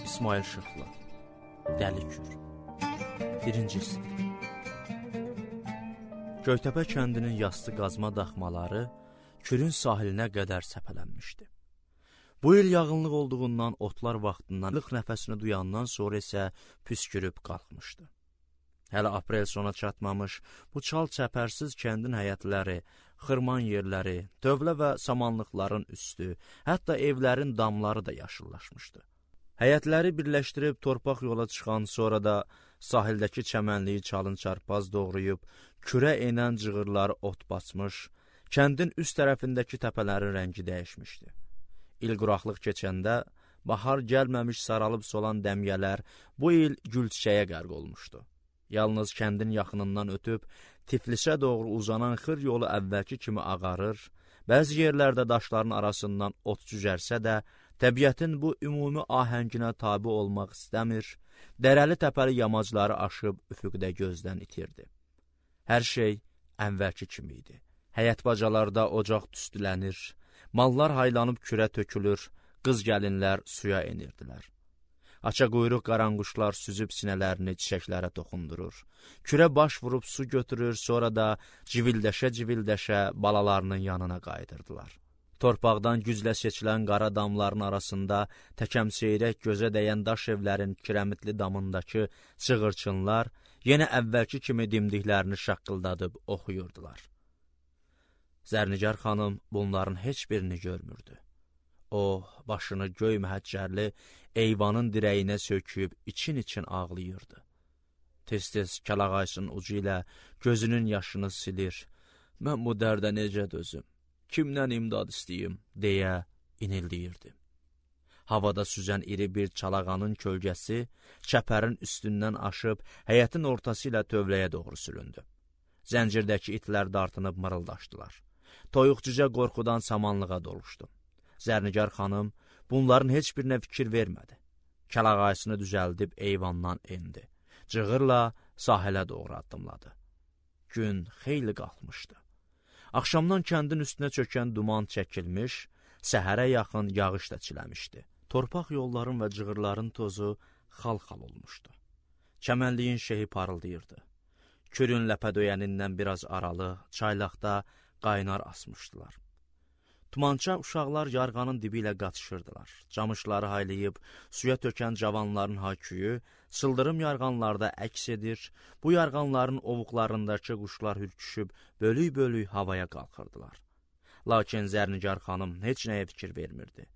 İsmail Şıxlı, Dəli Kür. 1-ci hissə. Göytəpə kəndinin yastı qazma daxmaları Kürün sahilinə qədər səpələnmişdi. Bu il yağınlıq olduğundan otlar vaxtından ilıq nəfəsini duyandan sonra isə püskürüb qalxmışdı. Hələ aprel sona çatmamış bu çal çəpərsiz kəndin həyətləri, xırman yerləri, dövlə və samanlıqların üstü, hətta evlərin damları da yaşıllaşmışdı. Həyətləri birləşdirib torpaq yola çıxan, sonra da sahildəki çəmənliyi çalın çarpaz doğrayıb, kürə enən cığırları ot basmış, kəndin üst tərəfindəki təpələrin rəngi dəyişmişdi. İl quraqlıq keçəndə, bahar gəlməmiş saralıb solan dəmyələr bu il gül çiçəyə qərq olmuşdu. Yalnız kəndin yaxınından ötüb, Tiflisə doğru uzanan xır yolu əvvəlki kimi ağarır, bəzi yerlərdə daşların arasından ot cücərsə də, təbiətin bu ümumi ahənginə tabi olmaq istəmir, dərəli təpəli yamacları aşıb üfüqdə gözdən itirdi. Hər şey əvvəlki kimi idi. Həyət bacalarda ocaq tüstülənir, mallar haylanıb kürə tökülür, qız gəlinlər suya enirdilər. Aça quyruq qaranquşlar süzüb sinələrini çiçəklərə toxundurur. Kürə baş vurub su götürür, sonra da civildəşə-civildəşə balalarının yanına qayıdırdılar. Torpaqdan güclə seçilən qara damların arasında təkəmseyrək gözə dəyən daş evlərin kirəmitli damındakı çığırçınlar yenə əvvəlki kimi dimdiklərini şaqqıldadıb oxuyurdular. Zərnigar xanım bunların heç birini görmürdü. O, başını göy məhəccərli eyvanın dirəyinə söküb için-için ağlayırdı. Tez-tez kəlağaysının ucu ilə gözünün yaşını silir. Mən bu dərdə necə dözüm? Kimdən imdad istəyim, deyə inildiyirdi. Havada süzən iri bir çalağanın kölgəsi çəpərin üstündən aşıb həyətin ortası ilə tövləyə doğru süründü. Zəncirdəki itlər dartınıb mırıldaşdılar. Toyuq cücə qorxudan samanlığa doluşdu. Zərnigar xanım bunların heç birinə fikir vermədi. Kəlağaysını düzəldib eyvandan endi. Cığırla sahilə doğru addımladı. Gün xeyli qalxmışdı. Axşamdan kəndin üstünə çökən duman çəkilmiş, səhərə yaxın yağış da çiləmişdi. Torpaq yolların və cığırların tozu xal-xal olmuşdu. Çəmənliyin şehi parıldayırdı. Kürün ləpədöyənindən biraz aralı, çaylaqda qaynar asmışdılar. Tumança uşaqlar yarğanın dibi ilə qaçışırdılar. Camışları haylayıb, suya tökən cavanların hayküyü, sıldırım yarğanlarda əks edir, bu yarğanların ovuqlarındakı quşlar hürküşüb, bölük-bölük havaya qalxırdılar. Lakin Zərnigar xanım heç nəyə fikir vermirdi.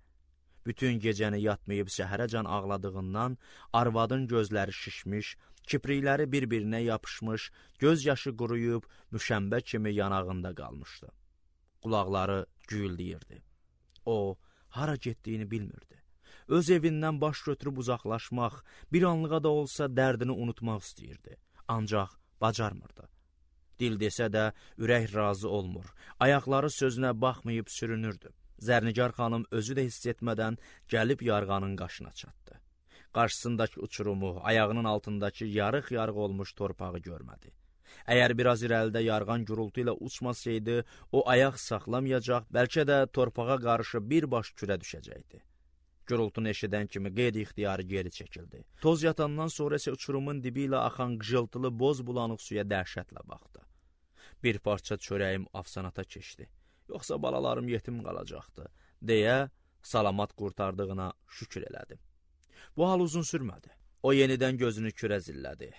Bütün gecəni yatmayıb səhərəcən ağladığından arvadın gözləri şişmiş, kiprikləri bir-birinə yapışmış, göz yaşı quruyub, müşəmbə kimi yanağında qalmışdı. Qulaqları güyüldəyirdi. O, hara getdiyini bilmirdi. Öz evindən baş götürüb uzaqlaşmaq, bir anlığa da olsa dərdini unutmaq istəyirdi. Ancaq bacarmırdı. Dil desə də ürək razı olmur. Ayaqları sözünə baxmayıb sürünürdü. Zərnigar xanım özü də hiss etmədən gəlib yarğanın qaşına çatdı. Qarşısındakı uçurumu, ayağının altındakı yarıq-yarıq olmuş torpağı görmədi. Əgər biraz irəlidə yarğan gürültü ilə uçmasaydı, o ayaq saxlamayacaq, bəlkə də torpağa qarışıb birbaş kürə düşəcəkdi. Gürültünü eşidən kimi qeyri-ixtiyarı geri çəkildi. Toz yatandan sonra isə uçurumun dibi ilə axan qıcıltılı boz bulanıq suya dəhşətlə baxdı. Bir parça çörəyim afsanata keçdi. Yoxsa balalarım yetim qalacaqdı, deyə salamat qurtardığına şükür elədi. Bu hal uzun sürmədi. O yenidən gözünü kürə zillədi.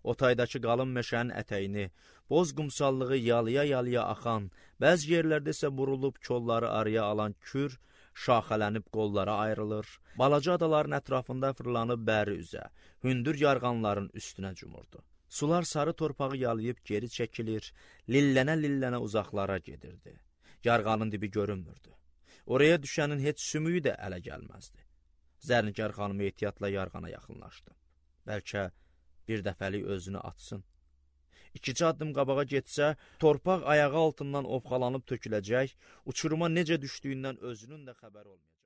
Otaydakı qalın meşənin ətəyini, boz qumsallığı yalıya-yalıya axan, bəzi yerlərdə isə burulub kolları araya alan kür, şaxələnib qollara ayrılır, balaca adaların ətrafında fırlanıb bəri üzə, hündür yarğanların üstünə cumurdu. Sular sarı torpağı yalayıb geri çəkilir, lillənə-lillənə uzaqlara gedirdi. Yarğanın dibi görünmürdü. Oraya düşənin heç sümüyü də ələ gəlməzdi. Zərnigar xanım ehtiyatla yarğana yaxınlaşdı. Bəlkə bir dəfəlik özünü atsın. 2 addım qabağa getsə, torpaq ayağı altından ovxalanıb töküləcək, uçuruma necə düşdüyündən özünün də xəbəri olmayacaq.